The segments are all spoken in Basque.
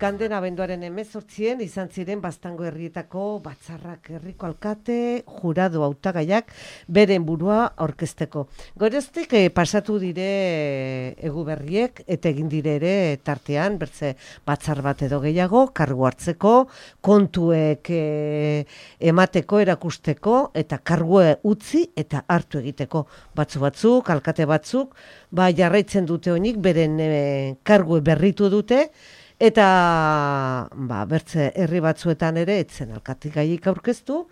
Iganden abenduaren 18 izan ziren Baztango herrietako batzarrak herriko alkate, jurado hautagaiak beren burua aurkezteko. Geroztik pasatu dire Eguberriek eta egin dire ere tartean bertze batzar bat edo gehiago kargu hartzeko, kontuek emateko, erakusteko eta kargue utzi eta hartu egiteko. Batzuk, alkate batzuk, jarraitzen dute honik beren kargue berritu dute eta bertze herri batzuetan ere etzen alkategaiek aurkeztu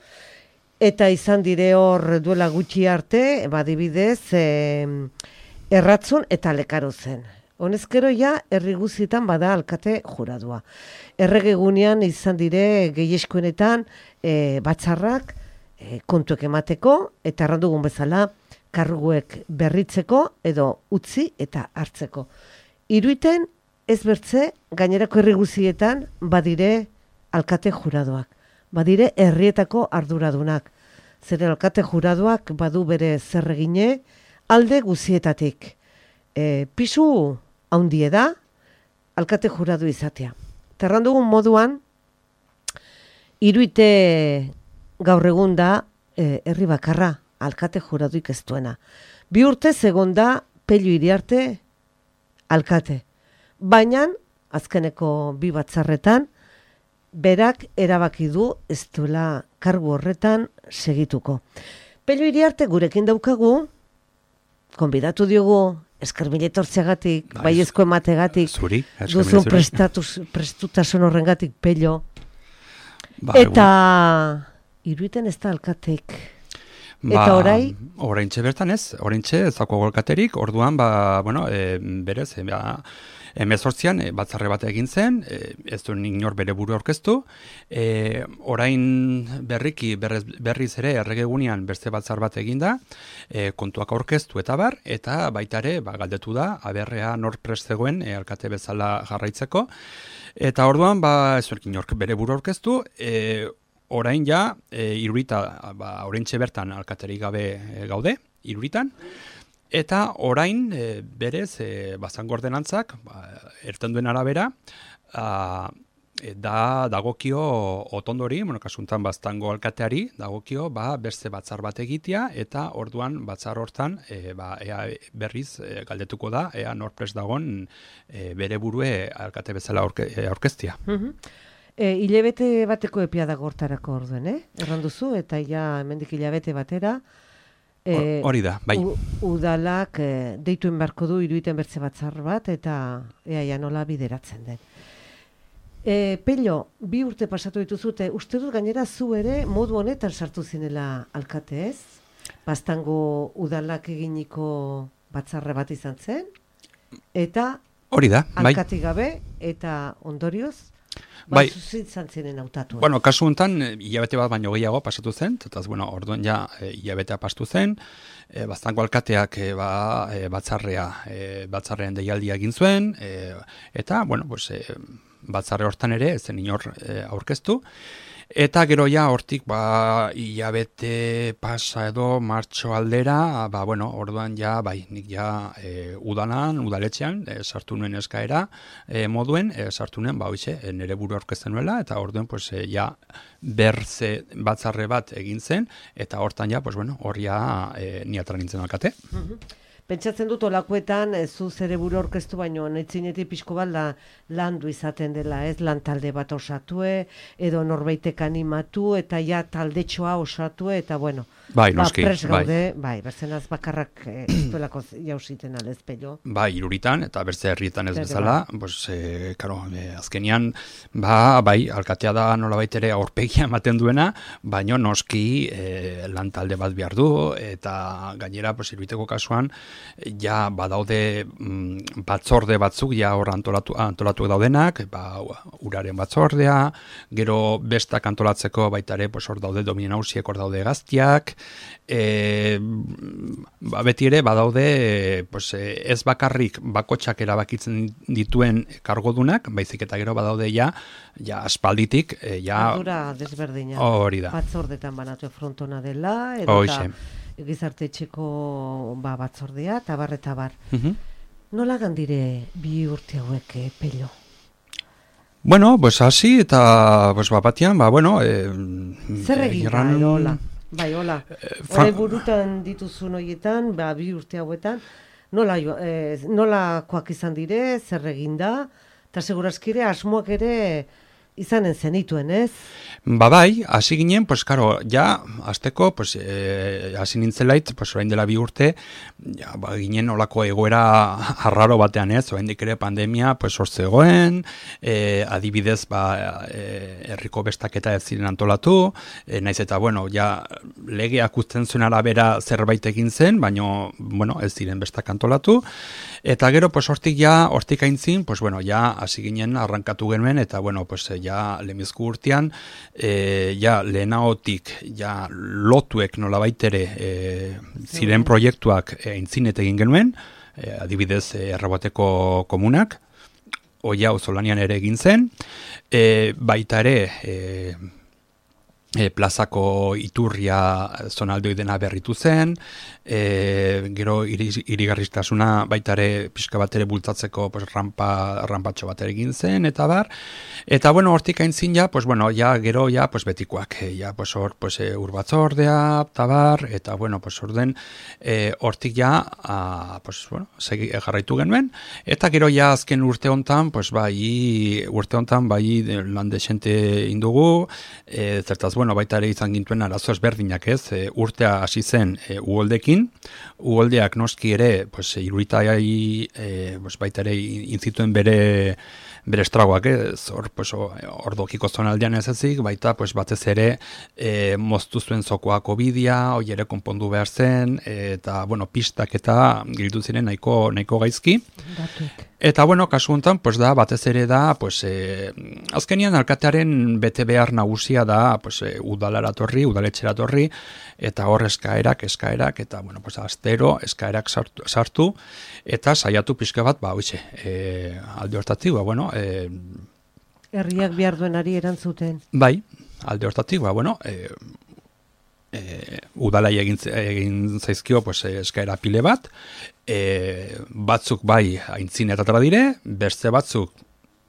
eta izan dire hor duela gutxi arte, adibidez, Erratzun eta Lekarozen. Honezkero herri guztietan bada alkate juradua. Erregegunean izan dire gehieskuenetan batzarrak kontuek emateko eta errandugun bezala karguek berritzeko edo utzi eta hartzeko. Iruiten ez bertze gainerako herri guztietan badire alkate juradoak, badire herrietako arduradunak. Zeren alkate juradoak badu bere zerregine alde guztietatik. Pisu haundie da alkate juradu izatea. Terrandugun moduan, Iruite gaur egun da herri bakarra alkate juraduik ez duena. 2 urte egon da Pello Iriarte alkate. Baina, azkeneko 2 batzarretan, berak erabaki du ez duela kargu horretan segituko. Pello Iriarte gurekin daukagu, konbidatu diogu, esker mila etortzeagatik, baiezko emategatik, duzun prestutasun horrengatik, Pello. Eta Iruiten ez da alkatek. Eta oraintxe bertan ez, ez dago alkaterik, orduan, berez, 18an batzarre bat egin zen, ez du inor bere buru aurkeztu, orain berriz ere erregegunean beste batzar bat eginda, kontuak aurkeztu eta baita ere galdetu da, aberrea nor prest zegoen alkate bezala jarraitzeko, eta orduan ez du inor bere buru aurkeztu, orain Irurita, oraintxe bertan alkaterik gabe gaude, Iruritan, eta orain berez Baztango ordenantzak, erten duen arabera, dagokio otondori, kasuntan Baztango alkateari, dagokio beste batzar bat egitea, eta orduan batzar hortan ea berriz galdetuko da, ea norprest dagon bere burue alkate bezala aurkeztia. Hilabete bateko epia dago hortarako orduen, erranduzu, eta hemendik hilabete batera, hori da, bai. Udalak deituen beharko du Iruiten bertze batzar bat, eta ea nola bideratzen den. Pello, 2 urte pasatu dituzute, uste dut gainera zu ere modu honetan sartu zinela alkate ez? Baztango udalak eginiko batzarre bat izan zen, eta hori da, bai. Alkatik gabe, eta ondorioz, zuzitzen ziren hautatu. Kasu honetan, hilabete bat baino gehiago pasatu zen, eta orduan hilabetea pastu zen, Baztango alkateak batzarrean deialdia egin zuen, eta, batzarre hortan ere, ez zen inor aurkeztu, eta gero hortik hilabete pasa edo martxo aldera, orduan nik udaletxean, sartu nuen eskaera moduen, sartu nuen, nire buru aurkezten nuela, eta orduen, berze batzarre bat egin zen, eta hortan ni atara nintzen alkate. Pentsatzen dut olakoetan zu zere buru aurkeztu baino netzinetik pixko bat landu izaten dela, ez lan talde bat osatue, edo norbaitek animatu, eta taldetxoa osatue, eta noski, pres gaude, berzenaz bakarrak duelako jausiten aldez, Pello. Iruritan, eta berze herrietan ez bezala, azkenian, alkatea da nolabait ere aurpegia ematen duena, baino noski lan talde bat behar du, eta gainera, Iruiteko kasuan, badaude batzorde batzuk hor antolatu daudenak, uraren batzordea, gero bestak antolatzeko baita ere hor daude dominen hausiek, hor daude gaztiak, beti ere badaude ez bakarrik bakotxak erabakitzen dituen kargodunak, baizik eta gero badaude aspalditik ardura desberdina. Hori da. Batzordetan banatu frontona dela, edo gizarte etxeko batzordea, eta bar. Nola gandire 2 urte hauek, Pello? Bueno, pues hasi eta pues batian, bueno, zer egin da, hola? Bai, hola. Horai burutan dituzun horietan, 2 urte hauetan, nolakoak izan dire, zer egin da, eta segurazkire asmoak ere izanen zenituen, ez? Bai, hasi ginen, pues claro, ja, azteko, pues, hasi nintzelait, pues, orain dela 2 urte, ja, ginen olako egoera arraro batean, ez, orain ere pandemia, pues, zegoen, adibidez, herriko bestaketa ez ziren antolatu, naiz eta, bueno, ja, legeak uzten zuen arabera zerbait egin zen, baina, bueno, ez ziren bestak antolatu, eta gero, pues, hortik aintzin, pues, bueno, ja, hasi ginen, arrankatu genuen, eta, bueno, pues, ja, lemizku urtean, lehenagotik, lotuek nolabait ere ziren proiektuak aintzinet egin genuen, adibidez, Erraboteko komunak, oia auzolanean ere egin zen, baita ere, plazako iturria zonaldoi dena berritu zen, gero irigarristasuna baita ere pixka bat ere bultzatzeko pues, rampatxo bat ere egin zen, eta bar. Eta, bueno, hortik aintzin pues, bueno, gero, pues, betikoak, pues, hor, pues, urbatzordea, eta bar, eta, bueno, pues, orden, hortik pues, bueno, jarraitu genuen, eta gero, azken urte hontan, pues, bai, lan desente indugu, zertaz, bueno, baita ere izan gintuen arazo ezberdinak, ez, urtea hasi zen uholdekin, uholdeak noski ere, pues, iruritai, pues, baita ere inzituen bere estragoak, ez, hor dokiko zonaldean ez ezik, baita, pues, batez ere moztu zuen zokoako bidea, hoi ere konpondu behar zen, eta, bueno, pistak eta gildu ziren nahiko gaizki. Eta, bueno, kasu honetan, pues, batez ere da, pues, azkenian alkatearen bete behar nagusia da, pues, udaletxera torri, eta hor eskaerak, eta, bueno, pues, astero eskaerak sartu, eta saiatu pixka bat, alde hortatik, bueno, herriak behar duenari erantzuten. Bai, alde hortatik, bueno, udalai egin zaizkio pues, eskaera pile bat, batzuk bai aintzinetatara dire, beste batzuk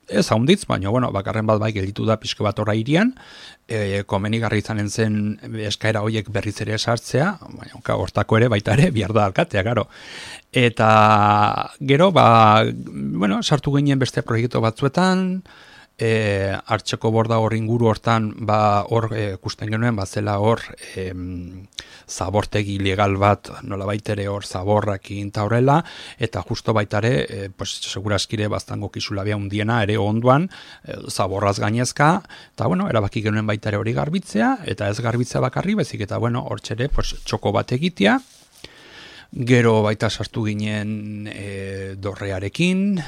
ez haunditz, baina bueno, bakarren bat bai gelditu da pixka bat horra irian, komenigarri izanen zen eskaera horiek berriz ere sartzea, baina hortako ere baita ere bihar da alkatea, garo. Eta gero, bueno, sartu ginen beste proiektu batzuetan, hartxeko borda hor inguru hortan hor ikusten genuen zela hor zabortegi legal bat nolabait ere hor zaborrakin ta horrela, eta justo baita ere pues segurazkire baztango kisulabea hundiena ere onduan zaborraz gainezka, eta bueno, erabaki genuen baita ere hori garbitzea, eta ez garbitzea bakarri, bezik eta bueno, hortxere pues txoko bat egitea. Gero baita sartu ginen dorrearekin,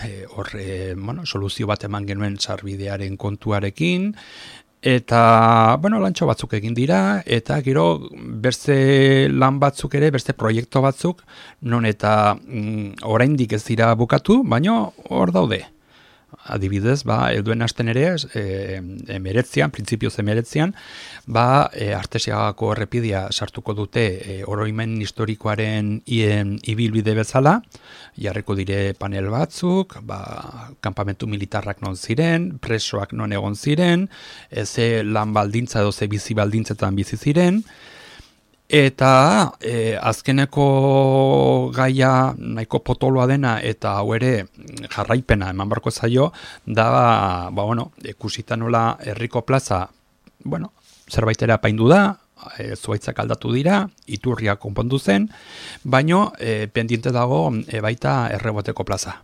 bueno, soluzio bat eman genuen sarbidearen kontuarekin, eta, bueno, lantxo batzuk egin dira, eta gero beste lan batzuk ere, beste proiektu batzuk, non eta oraindik ez dira bukatu, baina hor daude. Adibidez, helduen hasten ere, printzipioz emeretzian, Artesiagako errepidea sartuko dute oroimen historikoaren ibilbide bezala, jarriko dire panel batzuk, kanpamentu militarrak non ziren, presoak non egon ziren, ze lan baldintza edo ze bizi baldintzetan bizi ziren, eta azkeneko gaia nahiko potoloa dena eta hau ere jarraipena eman barko zaio da, bueno, ikusita nola herriko plaza, bueno, zerbaitera apaindu da, zuaitzak aldatu dira, iturria konpondu zen, baino pendiente dago baita Erreboteko plaza.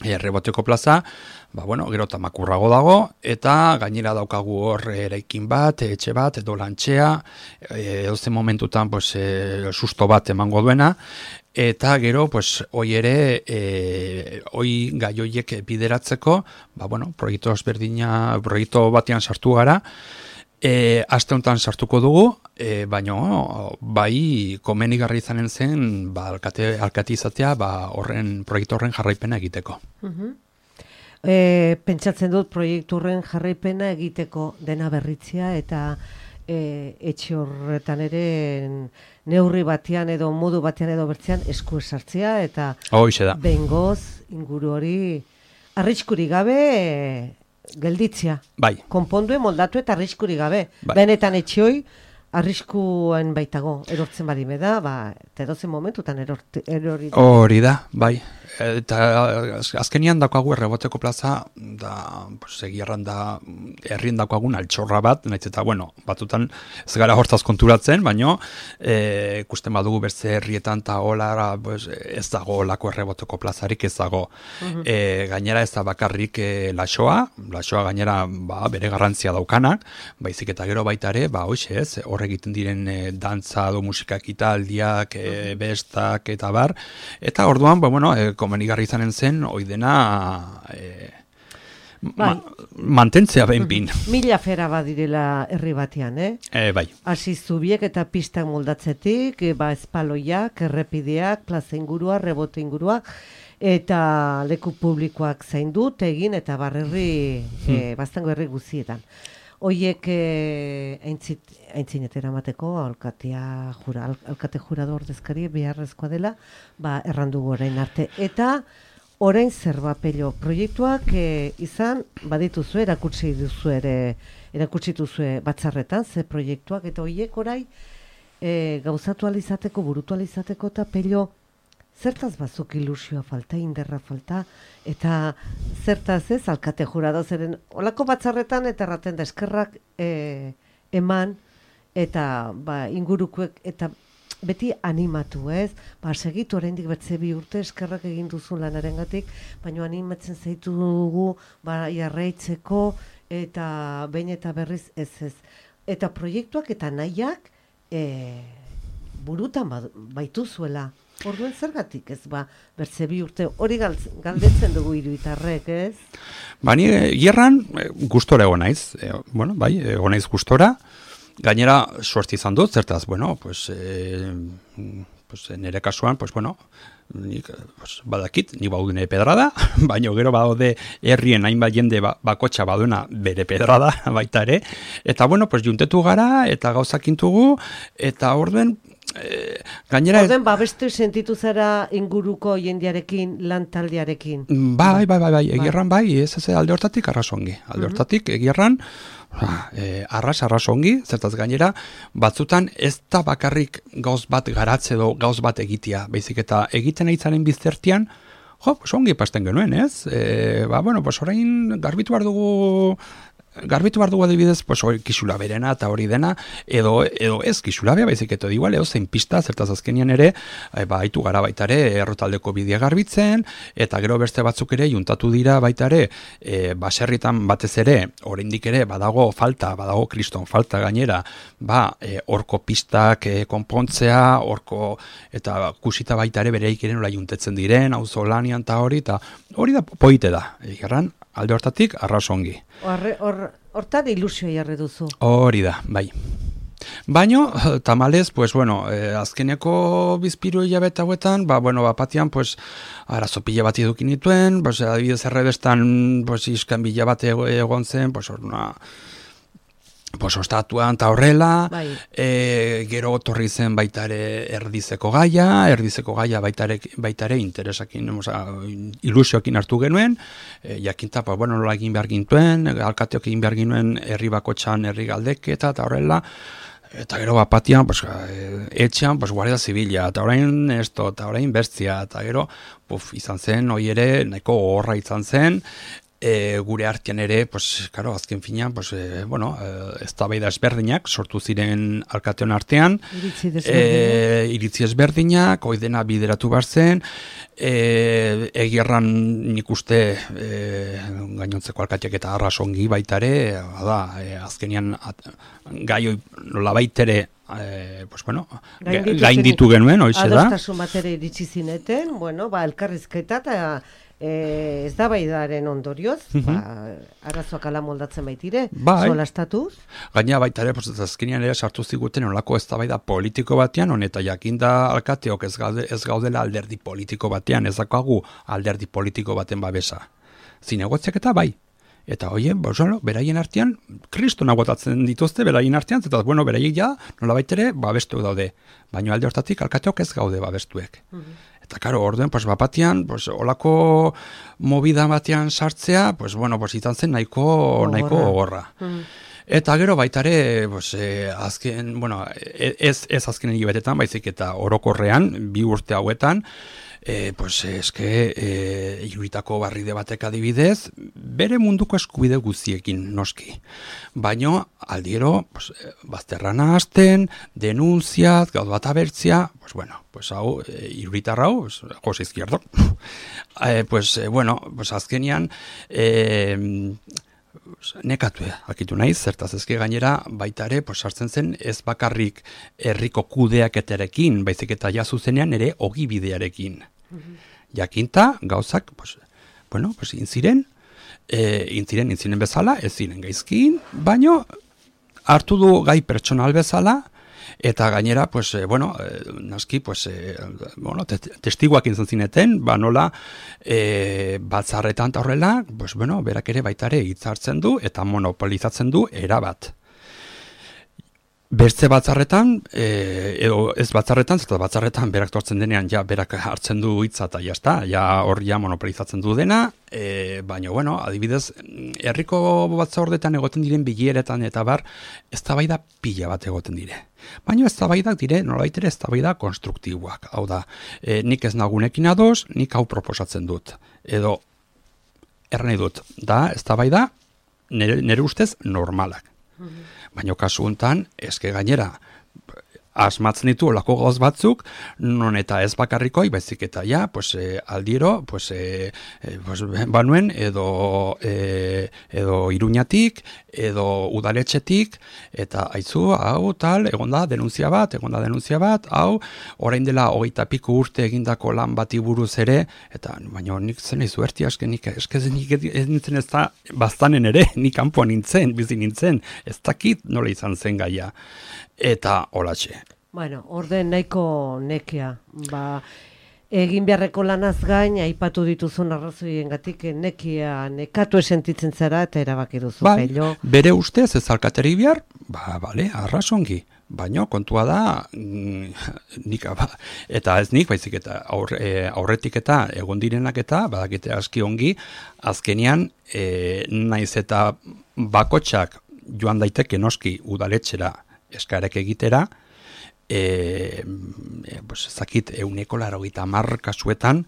Erreboteko plaza, bueno, gero tamakurrago dago, eta gainera daukagu hor eraikin bat, etxe bat, edo lantxea, edozen momentutan pues, susto bat emango duena, eta gero, pues, hoi ere, gai hoiek bideratzeko, bueno, proiektu batean sartu gara, aste honetan sartuko dugu, baina bai komenigarri izanen zen alkate izatea proiektu horren jarraipena egiteko. Pentsatzen dut proiektu horren jarraipena egiteko dena berritzea eta etxe horretan ere neurri batean edo modu batean edo bertzean esku esartzea eta Hoxe da. behingoz inguru hori arriskurik gabe gelditzia. Bai. Konpondue moldatu eta arriskurik gabe. Bai. Benetan etxioi, arriskuen baitago, erortzen badime da, edozen momentutan erori da. Hori da, bai. Eta azkenian daukagu erreboteko plaza, da, egierran da, herrien daukagun altxorra bat, nahiz eta, bueno, batzutan ez gara hortaz konturatzen, baino, ikusten badugu beste herrietan eta hola, ez dago lako erreboteko plazarik, ez dago. Gainera ez da bakarrik laxoa gainera bere garrantzia daukanak, baizik eta gero baita ere, hoxe ez, hor egiten diren dantza do musikak italdiak, bestak eta bar, eta orduan, komenigarri izanen zen, oidena mantentzea behinpin. Mila fera badirela herri batean, Bai. Hasi zubiek eta pistak moldatzetik, espaloiak, errepideak, plaza ingurua, rebote ingurua, eta leku publikoak zaindut egin, eta barrerri, bastango herri guzietan. Hoiek aintzinet eramateko alkate jurado ordezkari beharrezkoa dela, errandugu orain arte. Eta orain zerbapello proiektuak izan badituzue, erakutsi duzue batzarretan, ze proiektuak, eta hoiek orain gauzatu alizateko, burutu alizateko, eta pello zertaz bazuk ilusioa falta, inderra falta, eta zertaz ez, alkate jurado zeren, olako batzarretan eta erraten da eskerrak eman, eta ingurukuek, eta beti animatu ez, segitu oraindik bertze 2 urte eskerrak egin duzu lanarengatik, baina animatzen zaitu dugu jarraitzeko, eta behin eta berriz ez. Eta proiektuak eta nahiak burutan baituzuela. Orduen zergatik ez bertze 2 urte hori galdetzen dugu hiruitarrek, ez? Ni gerran gustora egon naiz. Egon naiz gustora. Gainera suerte izan dut, zertaz, nire kasuan, nik badakit, nik baudune pedrada, baina gero badaude herrien hainbat jende bakotxa baduena bere pedrada baita ere. Eta juntetu gara eta gauzakintugu, eta orduen gainera... Orden, babestu sentitu zara inguruko jendearekin, lantaldearekin? Bai, egierran ez alde hortatik arrasongi. Alde hortatik egierran arrasongi, zertaz gainera, batzutan ez da bakarrik gauz bat garatze edo gauz bat egitea, baizik eta egiten aitzaren biztertian, ongi pasten genuen, ez? Orain garbitu behar dugu adibidez, kisula berena eta hori dena, edo ez kisula bea, baizik eta igual, zein pista, zertaz azkenian ere, haitu gara baita ere, errotaldeko bidea garbitzen, eta gero beste batzuk ere, juntatu dira baita ere, baserritan batez ere, oraindik ere, badago kriston falta gainera, horko pistak konpontzea, horko, eta kusita baita ere, bereik ere nola juntetzen diren, auzo lanian eta hori da poite da, egerran, alde hortatik, arrasongi. Hortan ilusio jarri duzu. Hori da, bai. Baino, tamalez, azkeneko bizpiru hilabete hauetan, batian, arazo pila bat edukin nituen, adibidez errebestan, iskan bila bat egon zen, ostatuan eta horrela, gero torri zen baita ere erdizeko gaia baita ere interesakin, ilusioekin hartu genuen, jakinta, nola egin behar gintuen, alkateok egin behar gintuen herri bakotxan herri galdeketa eta horrela, eta gero batian, etxean, guardia zibila, eta orain esto, eta orain bestia, eta gero, izan zen, hoi ere, nahiko horra izan zen, gure artean ere, azken finean, eztabaida ezberdinak sortu ziren alkateon artean, iritzi ezberdinak, oidena bideratu behar zen, egierran nik uste gainontzeko alkateak eta arrasongi baita ere, azkenian gai nola baitere gainditu genuen, hoize da. Adostasun bat ere iritsi zineten, elkarrizketa eta ez da baidaren ondorioz, arazoak ala moldatzen baitire, solastatuz. Gaina baita ere, azkenean ere sartu ziguten olako ez da baida politiko batean, honeta jakinda alkateok ez gaudela alderdi politiko batean, ez dakagu alderdi politiko baten babesa. Zinegotziak eta bai. Eta hoien, beraien artean, kriston agotatzen dituzte, beraien artean, eta beraiek ja, nola baitere, babestuek daude. Baina alde hortatik, alkateok ez gaude babestuek. Eta, karo, orduen, pues, bapatian, pues, olako movida batean sartzea, pues, bueno, pues, izan zen nahiko gogorra. Eta gero baitare, pues, azken, bueno, ez azken hilabetetan, baizik eta orokorrean, 2 urte hauetan, pues, Iruitako barride batek adibidez, bere munduko eskubide guztiekin noski. Baino, aldiero, pues, bazterrana hasten, denunziat, gauz bat abertzia, pues, bueno, pues, hau, Iruitar hau, pues, Jose Izquierdo. Pues, bueno, pues, azkenian, nekatu akitu naiz, zertaz ezke gainera baitare, pues, sartzen zen ez bakarrik herriko kudeaketarekin, baizik eta ja zuzenean ere ogibidearekin. Jakinta, gauzak, pues, bueno, pues, intziren bezala, ez ziren gaizkin, baino hartu du gai pertsonal bezala, eta gainera, pues, bueno, naski, pues, bueno, testiguak izan zineten, nola, batzarretan eta horrela, pues, bueno, berak ere baitare hitzartzen du, eta monopolizatzen du erabat. Bertze batzarretan, edo ez batzarretan, zeta batzarretan berak tortzen denean, ja, berak hartzen du hitza eta jazta, ja hor ja monopolizatzen du dena, baina, bueno, adibidez, herriko batzordetan egoten diren bileretan eta bar, eztabaida pila bat egoten dire. Baina eztabaidak dire, nolabait ere eztabaida konstruktiboak. Hau da, nik ez nagunekin ados, nik hau proposatzen dut. Edo, erranei dut, da, eztabaida nire ustez normalak. Baina kasu honetan, eske gainera, asmatzen ditu olako gauz batzuk, non eta ez bakarrikoi, baizik eta ja, pues, aldiero, pues, banuen, edo Iruñatik, edo udaletxetik, eta aizu, hau, tal, egonda denuntzia bat, hau, orain dela 20 piku urte egindako lan bati buruz ere, eta, baina nik zen izu erti aske, nik ez nintzen ez da, baztanen ere, nik kanpoan nintzen, bizi nintzen, ez dakit nola izan zen gaia. Eta holatxe. Bueno, orden nahiko nekea. Egin beharreko lanaz gain, aipatu dituzun arrazoiengatik nekia nekatu esentitzen zara eta erabaki duzu. Pello. Bere ustez ez alkateri behar, bale, arrazongi. Baina kontua da, nik, eta ez nik, baizik eta aurretik eta egon direnak eta, badakite aski ongi, azkenean, naiz eta bakotxak joan daiteke noski udaletxera eskarek egitera, zakit 180 kasuetan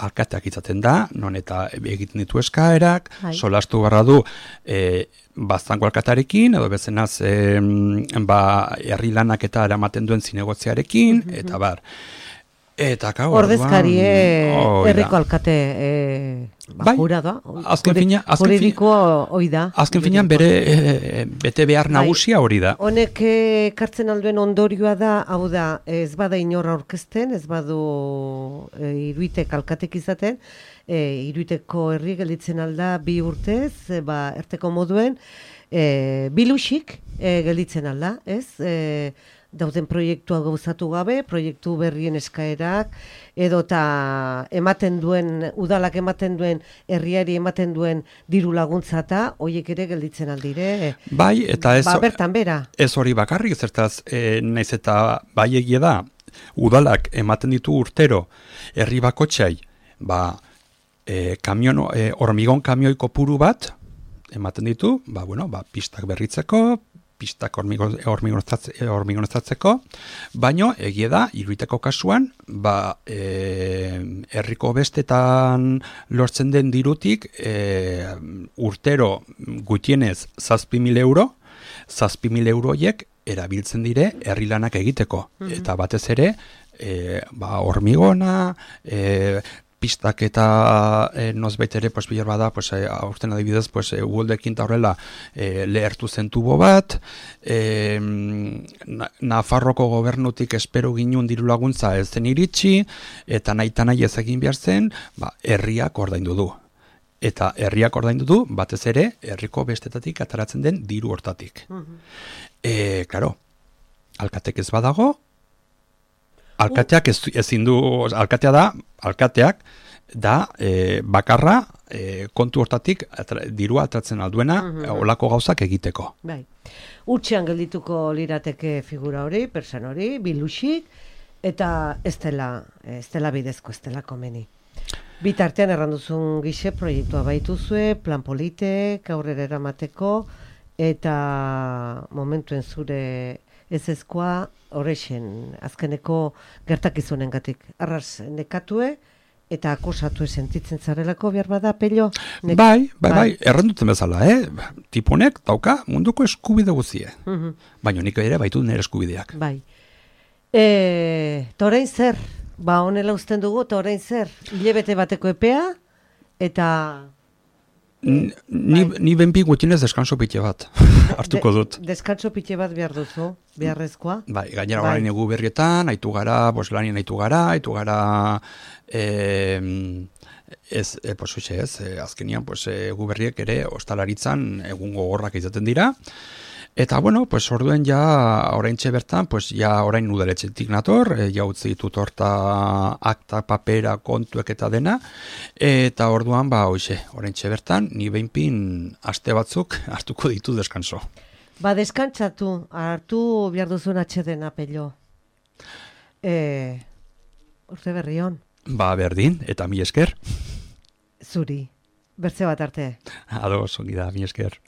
alkateak izaten da, non eta egiten ditu eskaerak, solastu barra du baztango alkatarekin, edo bezenaz herri lanak eta eramaten duen zinegotziarekin, eta bar. Eta ordezkarie herriko alkate jurada. Juridikoa hoi da. Azken finean bere bete behar nagusia hori da. Honek ekartzen alduen ondorioa da, hau da, ez bada inor aurkezten, ez badu Iruitek alkatek izaten, Iruiteko herri gelditzen alda 2 urtez, erteko moduen, bilusik gelditzen alda, ez? Dauden proiektua gauzatu gabe, proiektu berrien eskaerak, edota udalak ematen duen, herriari ematen duen diru laguntza eta horiek ere gelditzen aldire. Bai, eta ez, bertan bera. Ez hori bakarrik, zertaz, naiz eta bai egia da, udalak ematen ditu urtero, herri bakotxai, hormigon kamioi kopuru bat, ematen ditu, pistak berritzeko, pistak hormigoneztatzeko, baino egia da, Iruiteko kasuan, herriko bestetan lortzen den dirutik, urtero gutienez 7.000 euro, 7.000 euroiek erabiltzen dire herri lanak egiteko. Eta batez ere, hormigona, pistak eta nozbait ere, bilar bada, aurten adibidez, uholdekin eta horrela lehertu zen tubo bat, Nafarroko gobernutik espero ginun diru laguntza ez zen iritsi, eta nahi ez egin behar zen, herriak ordaindu du. Eta herriak ordaindu du, batez ere, herriko bestetatik ataratzen den diru hortatik. Klaro, alkatek ez badago, alkateak ezin du, alkateak da bakarra kontu hortatik dirua atratzen alduena olako gauzak egiteko. Bai. Utxean geldituko lirateke figura hori, persan hori, bilusik, Eta ez dela bidezko, ez dela komeni. Bitartean erranduzun gixe proiektua baituzue, plan politek, aurrera eramateko, eta momentuen zure ezezkoa horrexen azkeneko gertakizunengatik. Arras nekatue, eta akosatue sentitzen zarelako behar bada, Pello? Bai, erranduten bezala, Tiponek dauka munduko eskubide guzie. Baina nik ere baitu nire eskubideak. Bai. Orain zer? Ba, honela uzten dugu, eta orain zer? Hilebete bateko epea, eta... Ni benpi gutxinez deskanso pite bat hartuko dut. Deskanso pite bat behar duzu, beharrezkoa? Bai, gainera orain egu berrietan, aitu gara, lanien aitu gara, azkenian, egu berriek ere ostalaritzan egun gogorrak izaten dira. Eta, bueno, orduen ja, oraintxe bertan, ja orain udaletxetik nator, ja utzi ditut horta akta, papera, kontuek eta dena, eta orduan, oraintxe bertan, ni behinpin aste batzuk hartuko ditu deskanso. Ba, deskantzatu, hartu behar duzun atxedena, Pello. Urte berri hon. Ba, berdin, eta mi esker. Zuri, bertze bat arte. Ados, ongi da, mi esker.